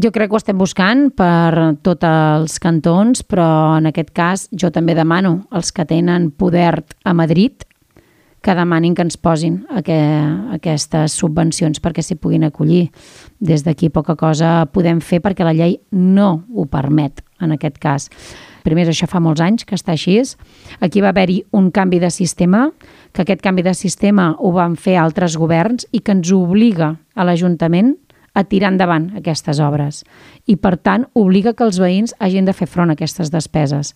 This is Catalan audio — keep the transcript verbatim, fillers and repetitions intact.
Jo crec que ho estem buscant per tots els cantons, però en aquest cas jo també demano als que tenen poder a Madrid que demanin que ens posin aquestes subvencions perquè s'hi puguin acollir. Des d'aquí poca cosa podem fer perquè la llei no ho permet, en aquest cas. Primer, això fa molts anys que està així. Aquí va haver-hi un canvi de sistema, que aquest canvi de sistema ho van fer altres governs i que ens obliga a l'Ajuntament a tirar endavant aquestes obres. I, per tant, obliga que els veïns hagin de fer front a aquestes despeses.